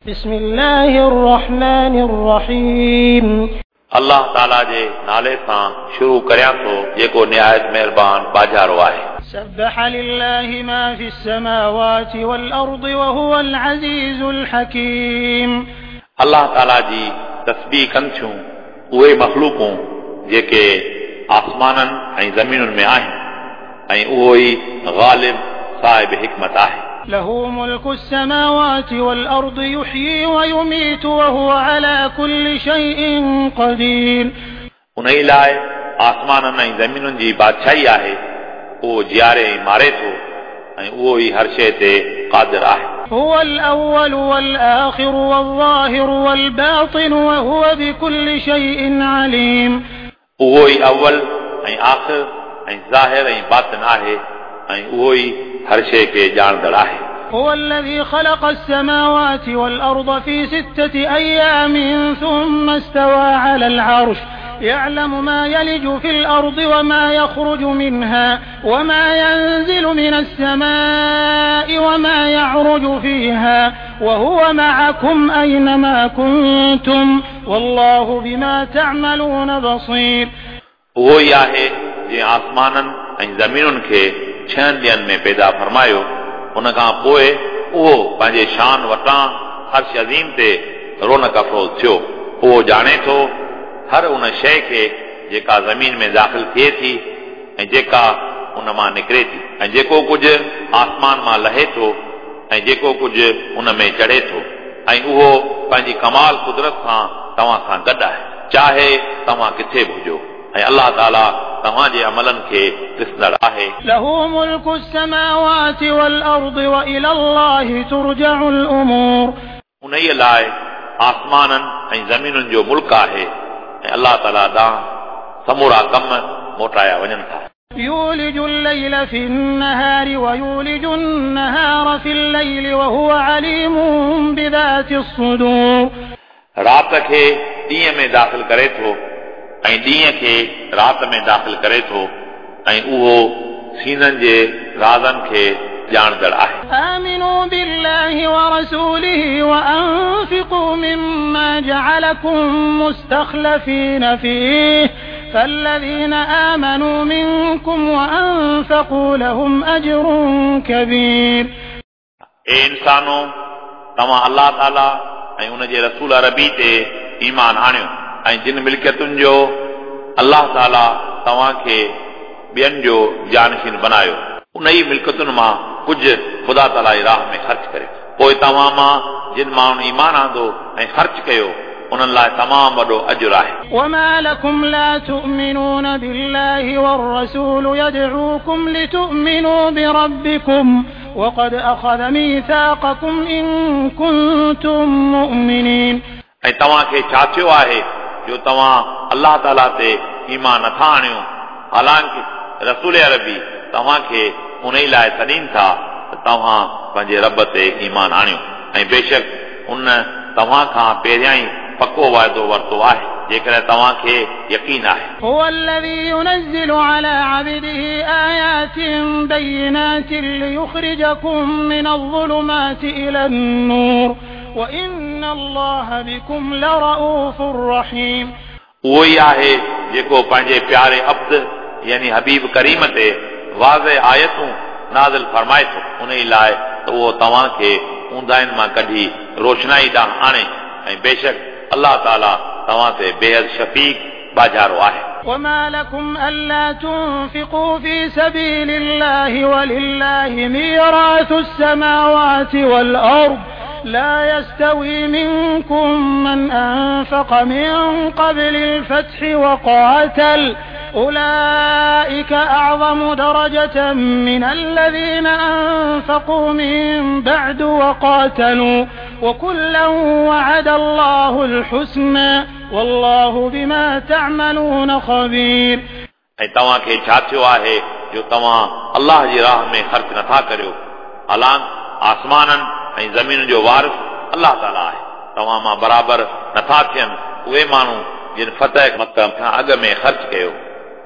بسم الله الرحمن الرحيم. الله تعاليٰ جي نالي سان شروع ڪريان ٿو جيڪو نهايت مهربان ٻاجهارو آهي. سبح لله ما في السماوات والأرض وهو العزيز الحڪيم. الله تعاليٰ جي تسبيح ڪن ٿيون اهي مخلوقون جيڪي آسمانن ۽ زمينن ۾ آهن ۽ اهو ئي غالب صاحب حڪمت آهي. له ملڪ السماوات والأرض يحيي ويميت وهو علي ڪل شيء قدير. انهيء لاء آسمانن ۽ زمينن جي بادشاهي آهي، اهو جياري ۽ ماري ٿو ۽ اهو ئي هر شيء تي قادر آهي. هو الأول والآخر والظاهر والباطن وهو بڪل شيء عليم. اهو ئي اول ۽ آخر ۽ ظاهر ۽ باطن آهي ۽ اهو ئي هر شيء کي ڄاڻندڙ آهي. هو الذي خلق السماوات والأرض في ستة أيام ثم استوى على العرش يعلم ما يلج في الأرض وما يخرج منها وما ينزل من السماء وما يعرج فيها وهو معكم أينما كنتم والله بما تعملون بصير. اهو ئي آهي جنهن آسمانن ۽ زمينن کي ڇهن ڏينهن ۾ پيدا فرمايو، ان کان پوء اهو پنهنجي شان وٽان عرش عظيم تي رونق افروز ٿيو. اهو ڄاڻي ٿو هر ان شيء کي جيڪا زمين ۾ داخل ٿئي ٿي ۽ جيڪا ان مان نڪري ٿي ۽ جيڪو ڪجهه آسمان مان لهي ٿو ۽ جيڪو ڪجهه ان ۾ چڙهي ٿو ۽ اهو پنهنجي ڪمال قدرت سان توهان سان گڏ آهي، چاهي توهان ڪٿي به هجو ۽ الله تعاليٰ توهان جي عملن کي ڏسندڙ آهي. له ملڪ السماوات والارض والي الله ترجع الامور. انهيء لاء آسمانن ۽ زمينن جو ملڪ آهي ۽ الله تعاليٰ ڏانهن سمورا ڪم موٽايا وڃن ٿا. يولج الليل في النهار ويولج النهار في الليل وهو عليم بذات الصدور. رات کي ڏينهن ۾ داخل ڪري ٿو ۽ ڏينهن کي رات ۾ داخل ڪري ٿو ۽ اهو سينن جي رازن کي ڄاڻندڙ آهي. آمنوا بالله ورسوله وأنفقوا مما جعلكم مستخلفين فيه فالذين آمنوا منكم وأنفقوا لهم أجر كبير. اي انسانو! توهان الله تعاليٰ ۽ ان جي رسول عربي تي ايمان آڻيو ۽ جن ملڪيتن جو الله تعاليٰ توهان کي ٻين جو جانشين بنايو، انهيء ملڪيتن مان ڪجهه خدا تعاليٰ جي راهه ۾ خرچ ڪريو، پوء توهان مان جن ماڻهن ايمان آندو ۽ خرچ ڪيو، انهن لاء تمام وڏو اجر آهي. وما لڪم لا تؤمنون بالله والرسول يدعوڪم لتؤمنوا بربڪم وقد اخذ ميثاقڪم ان ڪنتم مؤمنين. ۽ توهان کي ڇا ٿيو آهي جو توهان الله تعالي تي ايمان نٿا آڻيو، حالانڪ رسول عربي توهان کي انهي لاء سڏين ٿا ته توهان پنهنجي رب تي ايمان آڻيو ۽ بيشڪ ان توهان کان پهريائين پڪو وعدو ورتو آهي، جيڪڏهن توهان کي يقين آهي. هو الذي ينزل علي عبده آيات بينات ليخرجڪم من الظلمات الي النور وان الله بڪم لرؤف رحيم. اهو ئي آهي جيڪو پنهنجي پياري عبد يعني حبيب ڪريم تي واضح آيتون نازل فرمائي ٿو، انهي لاء ته اهو توهان کي اونداهين مان ڪڍي روشنائي ڏانهن آڻي ۽ بيشڪ الله تعالي توهان تي بيحد شفيق، ٻاجهارو، آهي. وما لڪم الا تنفقوا في سبيل الله ولله ميراث السماوات والارض لا يستوي منڪم من انفق من قبل الفتح وقاتل اولئک اعظم درجة من الذين انفقوا من بعد وقاتلوا وڪلا وعد الله الحسني والله بما تعملون خبير. ۽ توهان کي ڇا ٿيو آهي جو توهان الله جي راهه ۾ خرچ نٿا ڪريو؟ حالانڪ آسمانن ۽ زمين جو وارث الله تعاليٰ آهي. توهان مان برابر نٿا ٿين اهي ماڻهو جن فتح مڪه کان اڳ ۾ خرچ ڪيو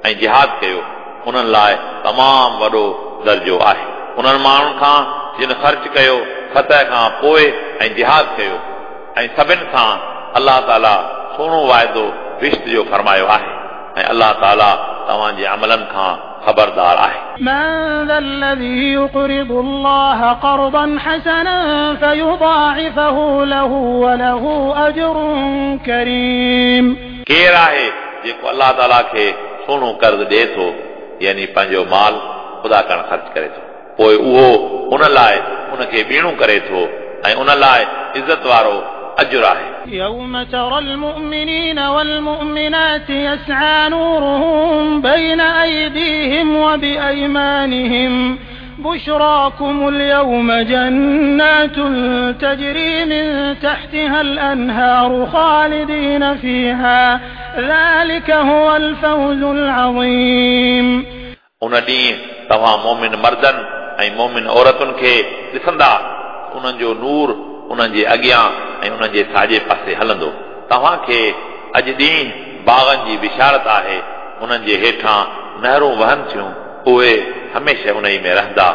۽ جهاد ڪيو، انهن لاء تمام وڏو درجو آهي. انهن ماڻهن کان جن خرچ ڪيو فتح کان پوء ۽ جهاد ڪيو. ऐं सभिनि सां अलाह ताला सुहिणो वाइदो बहिश्त जो फरमायो आहे ऐं अलाह ताला तव्हांजे अमलनि खां ख़बरदार आहे। من ذا الذي يقرض الله قرضا حسنا فيضاعفه له وله أجر كريم। केरु आहे जेको अलाह ताला खे सुहिणो कर्ज़ ॾिए थो, यानी पंहिंजो माल ख़ुदा करण ख़र्च करे थो, पोइ उहो उन लाइ उनखे ॿीणो करे थो ऐं उन लाइ इज़त वारो अजुर आहे। يوم ترى المؤمنين والمؤمنات يسعى نورهم بين أيديهم وبأيمانهم بشراكم اليوم جنات تجري من تحتها الأنهار خالدين فيها ذلك هو الفوز العظيم। उन ॾींहुं तव्हां मोमिन मर्दनि ऐं मोमिन औरतुनि खे ॾिसंदा, उन्हनि जो नूर उन्हनि जे अॻियां ऐं उन्हनि जे साॼे पासे हलंदो। तव्हांखे अॼु ॾींहुं बाग़नि जी बिशारत आहे, उन्हनि जे हेठां नहरूं वहनि थियूं, उहे हमेशह उन में रहंदा।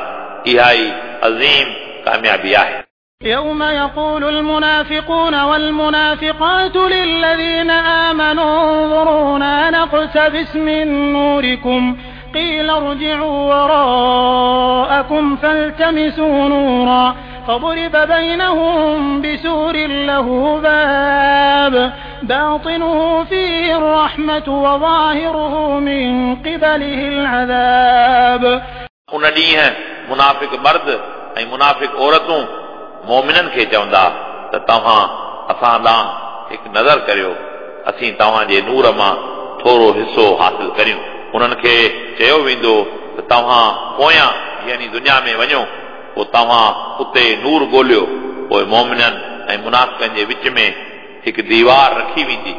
इहा ई अज़ीम कामयाबी आहे। يوم يقول المنافقون والمنافقات للذين آمنوا انظرونا نقتبس من نوركم قيل ارجعوا وراءكم فالتمسوا نورا فضرب بينهم بسور له باب باطنه فيه الرحمة وظاهره من قبله العذاب। उन ॾींहुं मुनाफ़िक मर्द ऐं मुनाफ़िक औरतूं मोमिननि खे चवंदा त तव्हां असां ॾांहुं हिकु नज़र करियो, असीं तव्हांजे नूर मां थोरो हिसो हासिल करियूं। उन्हनि खे चयो वेंदो त तव्हां पोयां यानी दुनिया में वञो, पोइ तव्हां उते नूर ॻोल्हियो। पोइ मोमिननि ऐं मुनाफ़िकनि जे विच में हिकु दीवार रखी वेंदी,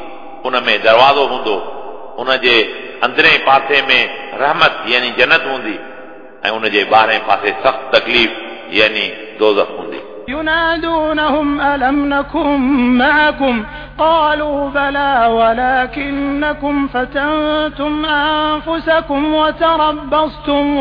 उन में दरवाज़ो हूंदो, उन जे अंदरें पासे में रहमत यानी जन्नत हूंदी ऐं उन जे ॿाहिरें पासे सख़्तु तकलीफ़ यानी दोज़ख हूंदी। ينادونهم ألم نكن معكم قالوا بلى ولكنكم فتنتم أنفسكم وتربصتم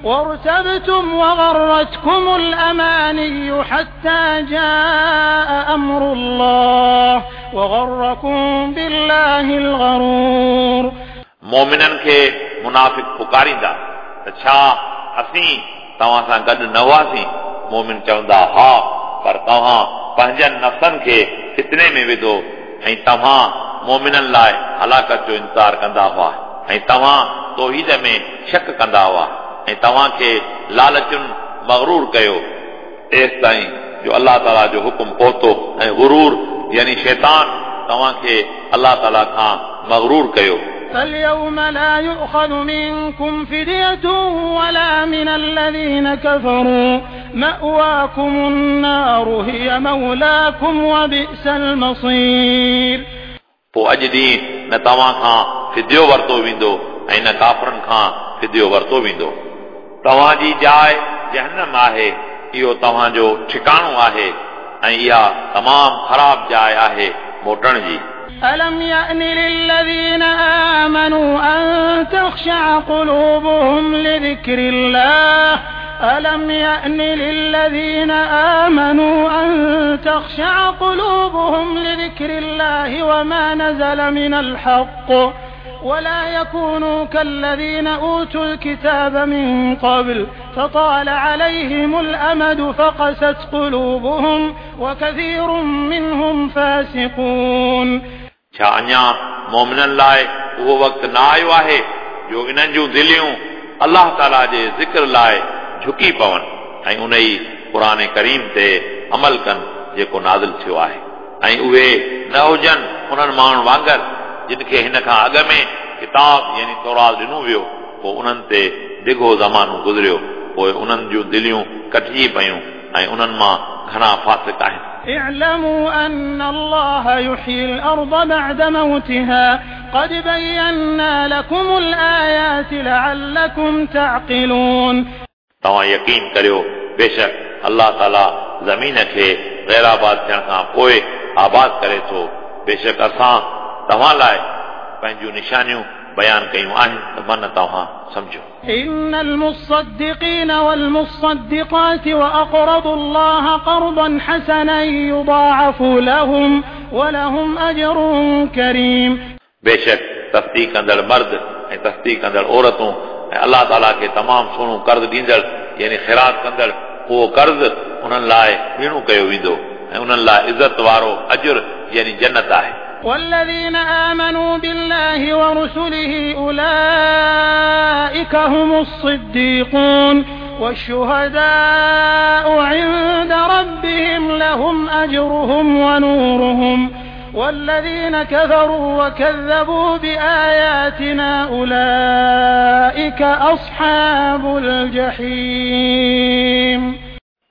وارتبتم وغرتكم الأماني حتى جاء أمر الله وغركم بالله الغرور। मोमिननि खे मुनाफ़िक पुकारींदा त छा असीं तव्हां सां गॾु न हुआसीं? मोमिन चवंदा हा, पर तव्हां पंहिंजनि नफ़्सनि खे फितने में विधो ऐं तव्हां मोमिननि लाइ हलाकत जो इंतज़ार कंदा हुआ ऐं तव्हां तौहीद में शक कंदा हुआ ऐं तव्हांखे लालचुनि मग़रूर कयो, एसि ताईं जो अलाह ताला जो हुकुम पहुतो ऐं गुरूर यानी शैतान तव्हांखे अलाह ताला खां मग़रूर कयो। فاليوم لا يؤخذ منكم فدية ولا من الذين كفروا مأواكم النار هي مولاكم وبئس المصير। पोइ अॼु ॾींहुं न तव्हां खां फिदियो वरितो वेंदो ऐं न काफ़रनि खां फिदियो वरितो वेंदो। तव्हांजी जाइ जहन्नम आहे, इहो तव्हांजो ठिकाणो आहे ऐं इहा तमामु ख़राब जाइ आहे मोटण जी। ألم يأن للذين آمنوا أن تخشع قلوبهم لذكر الله ألم يأن للذين آمنوا أن تخشع قلوبهم لذكر الله وما نزل من الحق ولا يكونوا كالذين أوتوا الكتاب من قبل فطال عليهم الأمد فقست قلوبهم وكثير منهم فاسقون। छा अञा मोमिननि लाइ उहो वक़्तु न आयो आहे जो इन्हनि जूं दिलियूं अलाह ताला जे ज़िक्र लाइ झुकी पवनि ऐं उन ई क़ुर करीम ते अमल कनि जेको नाज़िल थियो आहे ऐं उहे न हुजनि उन्हनि माण्हुनि वांगुरु जिन खे हिन खां अॻु में किताब यानी तौरात ॾिनो वियो, पोइ उन्हनि ते डिघो ज़मानो गुज़रियो, पोइ उन्हनि जूं दिलियूं कटिजी पयूं ऐं उन्हनि मां घणा फ़ासिक आहिनि। اعلموا أن الله يحيي الأرض بعد موتها قد بينا لكم الآيات لعلكم تعقلون। तव्हां यकीन करियो, बेशक अलाह ताला ज़मीन खे ग़ैराबाद थियण खां पोइ आबाद करे थो। बेशक असां तव्हां लाइ पंहिंजूं निशानियूं बयान कयूं आहिनि त मन तव्हां सम्झो। إن المصدقين والمصدقات وأقرضوا الله قرضا حسنا يضاعف لهم ولهم أجر كريم। बेशक तस्दीक कंदड़ मर्द ऐं तस्दीक कंदड़ औरतूं ऐं अलाह ताला खे तमामु सुहिणो कर्ज़ ॾींदड़ यानी ख़ैरात कंदड़ उहो कर्ज़ उन्हनि लाइ ॿीणो कयो वेंदो ऐं उन्हनि लाइ इज़त वारो अजुर यानी जन्नत आहे। والذين آمنوا بالله ورسله أولئك هم الصديقون والشهداء عند ربهم لهم أجرهم ونورهم والذين كفروا وكذبوا بآياتنا أولئك أصحاب الجحيم।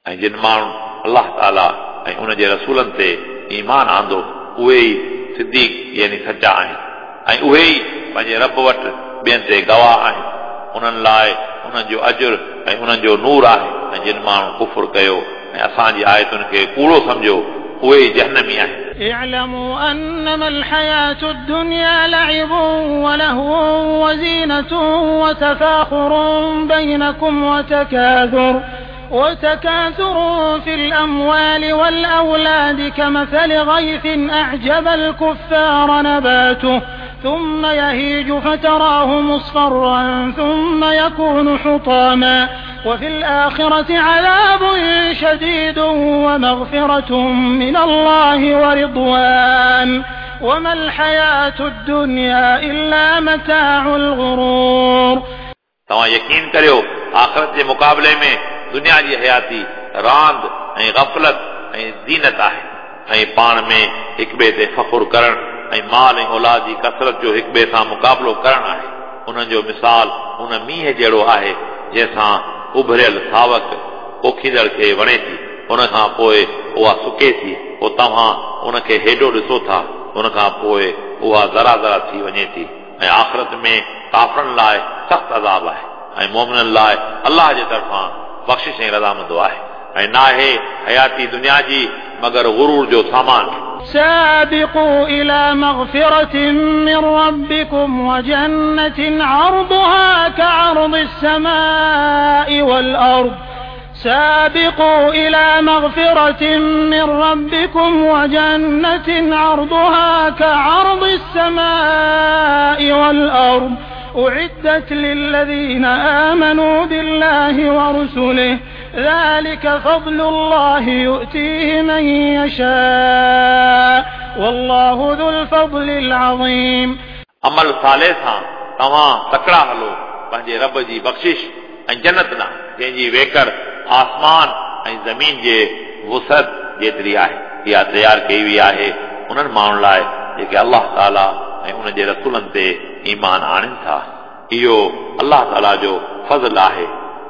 ऐं जिन माण्हुनि अलाह ताला ऐं उन जे रसूलनि ते ईमान आंदो उहे ई सिद्दीक यानी सच्चा आहिनि ऐं उहे ई पंहिंजे रब वटि ॿियनि ते गवाह आहिनि। उन्हनि लाइ उन्हनि जो अजुर ऐं उन्हनि जो नूर आहे। ऐं जिन माण्हुनि कुफुर कयो ऐं असांजी आयतुनि खे कूड़ो सम्झो उहे ई जहनमी आहिनि। اعلموا أنما الحياة الدنيا لعب ولهو وزينة وتفاخر بينكم وتكاثر في الأموال والأولاد كمثل غيث أعجب الكفار نباته ثم يهيج فتراه مصفرا ثم يكون حطاما وفي الآخرة عذاب شديد ومغفرة من الله ورضوان وما الحياة الدنيا إلا متاع الغرور। तव्हां यकीन करियो आख़िरत जे मुक़ाबले में दुनिया जी हयाती रांदि ऐं गफ़लत ऐं ज़ीनत आहे ऐं पाण में हिक ॿिए ते फ़ख़ुरु करणु ऐं माल ऐं औलाद जी कसरत जो हिक ॿिए सां मुक़ाबिलो करणु आहे। उन्हनि जो मिसाल उन मींहं जहिड़ो आहे जंहिंसां उभरियल सावक पोखींदड़ खे वणे थी, उन खां पोइ उहा सुके थी, पोइ तव्हां उनखे हेॾो ॾिसो था, उन खां पोइ उहा ज़रा ज़रा थी वञे थी। ऐं आख़िरत में काफ़रनि लाइ सख़्तु अज़ाब आहे ऐं मोमिननि लाइ अलाह जे तरफ़ां बख़्शिश ऐं रज़ामंदो आहे। ऐं नाहे हयाती दुनिया जी मगर गुरूर जो सामान। سابقوا إلى مغفرة من ربكم وجنة عرضها كعرض السماء والأرض سابقوا إلى مغفرة من ربكم وجنة عرضها كعرض السماء والأرض أعدت للذين آمنوا بالله ورسله ذلك فضل الله يؤتيه من يشاء والله ذو الفضل العظيم। अमल साले सां तव्हां तकड़ा हलो पंहिंजे रब जी बख़्शिश ऐं जन्नत ॾांहुं जंहिंजी वेकर आसमान ऐं ज़मीन जे वुसअत जेतिरी आहे। इहा तयारु कई वई आहे उन्हनि माण्हुनि लाइ जेके अलाह ताला ऐं उन जे रसूलनि ते ईमान आणनि था। इहो अलाह ताला जो फज़ल आहे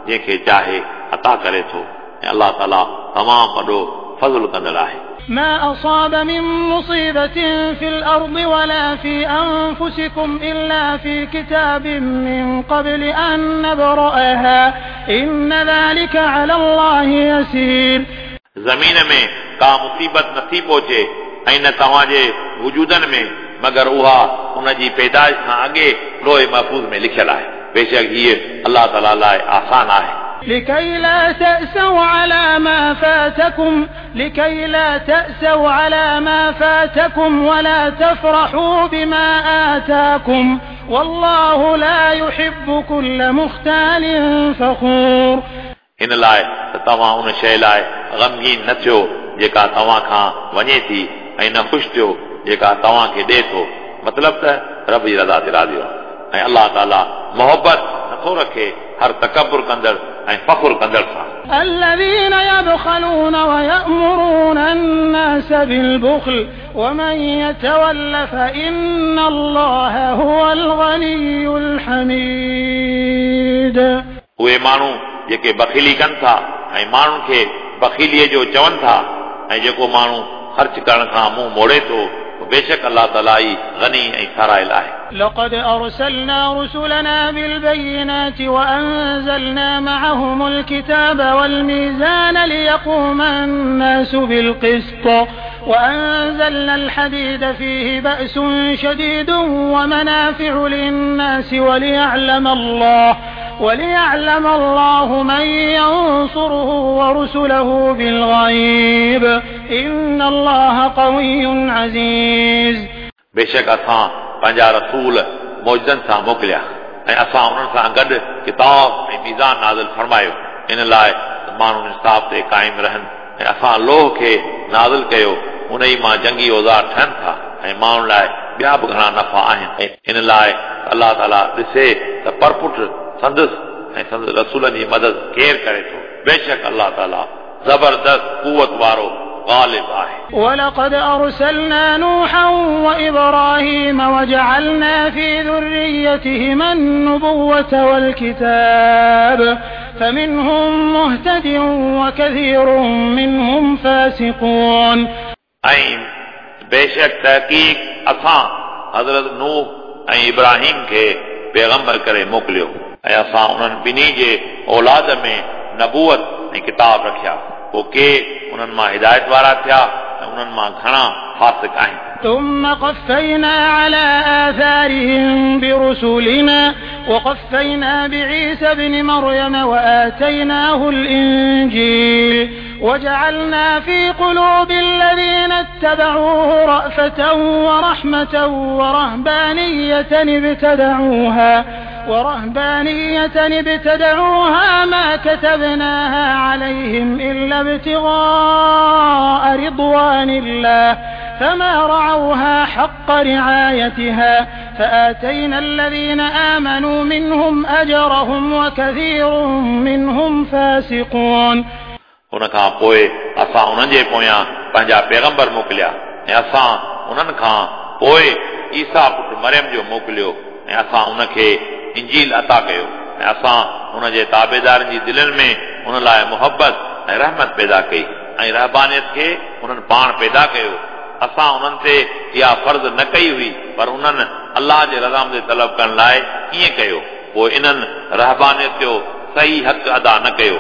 जंहिंखे चाहे अता करे थो ऐं अलाह ताला तमामु वॾो फज़ुल कंदड़ आहे। ما أصاب من مصيبة في الأرض ولا في أنفسكم إلا في كتاب من قبل أن نبرأها إن ذلك على الله يسير। ज़मीन में का मुसीबत नथी पहुचे ऐं न तव्हांजे वजूदनि में मगर उहा उनजी पैदाइश खां अॻे लोहे महफ़ूज़ में लिखियलु आहे। बेशक हीअ अलाह ताला लाइ आसान आहे। لكي لا تأسوا على ما فاتكم لكي لا تأسوا على ما فاتكم ولا تفرحوا بما آتاكم والله لا يحب كل مختال فخور। इन लाइ त तव्हां उन शइ लाइ ग़मगीन न थियो जेका तव्हां खां वञे थी ऐं न ख़ुशि थियो जेका तव्हांखे ॾिए थो। मतिलबु त रब जी रज़ा ते राज़ी रहो ऐं अलाह ताला मोहबत नथो रखे हर तकबुर कंदड़ ऐं फ़ख़ुर कंदड़ सां। الذين يبخلون ويأمرون الناس بالبخل ومن يتول فإن الله هو الغني الحميد। उहे माण्हू जेके बख़ीली कनि था ऐं माण्हुनि खे बख़ीलीअ जो चवनि था ऐं जेको माण्हू ख़र्च करण खां मुंहुं मोड़े थो बेशक अलाह ताला ई गनी ऐं सारायल आहे। لقد أرسلنا رسلنا بالبينات وأنزلنا معهم الكتاب والميزان ليقوم الناس بالقسط وأنزلنا الحديد فيه بأس شديد ومنافع للناس وليعلم الله من ينصره ورسله بالغيب إن الله قوي عزيز. बेशक असां पंहिंजा रसूल मौजनि सां मोकिलिया ऐं असां उन्हनि सां गॾु किताब ऐं मीज़ान नाज़िल फरमायो इन लाइ त माण्हू इंसाफ़ ते क़ाइम रहनि ऐं असां लोह खे नाज़िल कयो उन ई मां जंगी औज़ार ठहनि था ऐं माण्हुनि लाइ ॿिया बि घणा नफ़ा आहिनि ऐं इन लाइ अलाह ताला ॾिसे त परपुट संदसि ऐं संदसि रसूलनि जी मदद केरु करे थो। बेशक अलाह ताला ज़बरदस्त कुवत वारो ग़ालिब आहे। ولقد أرسلنا نوحا وإبراهيم وجعلنا في ذريتهما النبوة والكتاب فمنهم مهتد وكثير منهم فاسقون. ऐं बेशक तहक़ीक़ असां हज़रत नूह ऐं इब्राहिम खे पैगंबर करे मोकिलियो ऐं असां उन्हनि ॿिन्ही जे औलाद में नबूअत ऐं किताब रखिया पोइ के उन्हनि मां हिदायत वारा थिया ऐं उन्हनि मां घणा फ़ासिक आहिनि। ثم قفينا على آثارهم برسلنا وقفينا بعيسى ابن مريم وآتيناه الإنجيل وجعلنا في قلوب الذين اتبعوه رأفة ورحمة ورهبانية ابتدعوها ما كتبناها عليهم إلا ابتغاء رضوان الله فما رعوها حق رعايتها فآتينا الذين آمنوا منهم أجرهم وكثير منهم فاسقون. उन खां पोइ असां उन्हनि जे पोयां पंहिंजा पैगंबर मोकिलिया ऐं असां उन्हनि खां पोइ ईसा पुट मरियम जो मोकिलियो ऐं असां उनखे इंजील अता कयो ऐं असां उनजे ताबेदारनि जी दिलनि में उन लाइ मुहबत ऐं रहमत पैदा कई ऐं रहबानियत खे उन्हनि पाण पैदा कयो। असां उन्हनि ते इहा फ़र्ज़ न कई हुई पर उन्हनि अलाह जे रज़ामंदी तलब करण लाइ ईअं कयो पोइ इन्हनि रहबानियत जो सही हक़ अदा न कयो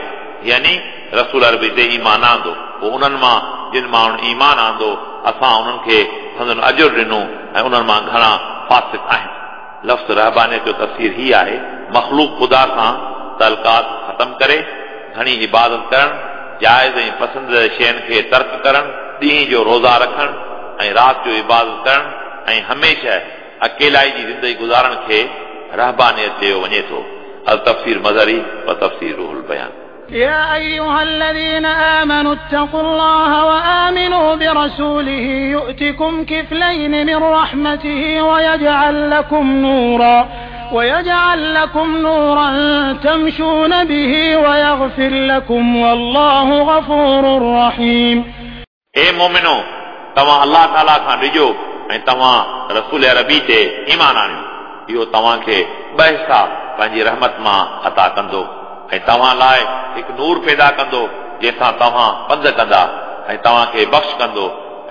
यानी रसूल अरबी ते ईमान आंदो। पोइ उन्हनि मां जिन माण्हुनि ईमान आंदो असां उन्हनि खे संदन अजुर ॾिनो ऐं उन्हनि मां घणा फ़ासिक आहिनि। लफ़्ज़ रहबानियत जो तफ़सीर ही आहे मख़लूक ख़ुदा सां तलक़ात ख़तम करे घणी इबादत करणु, जाइज़ ऐं पसंदीदा शयुनि खे तर्क करणु, ॾींहं जो रोज़ा रखणु ऐं राति जो इबादत करणु ऐं हमेशह अकेलाई जी ज़िंदगी गुज़ारण खे रहबानियत चयो वञे थो। अल तफ़सीर मज़हरी व तफ़सीर रूहुल बयान। يا أيها الذين آمنوا اتقوا الله وآمنوا برسوله يؤتكم كفلين من رحمته ويجعل لكم نورا تمشون به ويغفر لكم والله غفور رحيم. ए मोमिनो, तव्हां अलाह ताला खां डिॼो ऐं तव्हां रसूल अरबी ते ईमान आणियो। इहो तव्हांखे ॿ हिसा पंहिंजी रहमत मां अता कंदो ऐं तव्हां लाइ हिकु नूर पैदा कंदो जंहिंसां तव्हां पंध कंदा ऐं तव्हांखे बख़्श कंदो।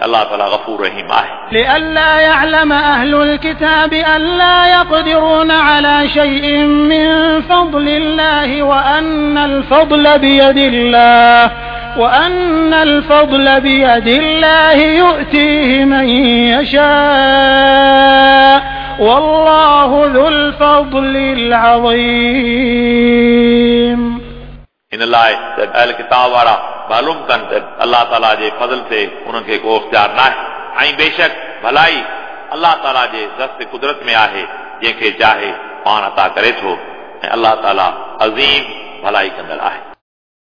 अलाह ताला गफ़ूर रहीम आहे। لئلا يعلم أهل الكتاب ألا يقدرون على شيء من فضل الله وأن الفضل بيد الله يؤتيه من يشاء والله ذو الفضل العظيم. इन लाइ अहल किताब वारा मालूम कनि त अलाह ताला जे फज़ल ते उन्हनि खे को इख़्तियार न आहे ऐं बेशक भलाई अलाह ताला जे दस्त कुदरत में आहे जंहिंखे चाहे पाण अता करे थो ऐं अलाह ताला अज़ीम भलाई कंदड़ आहे।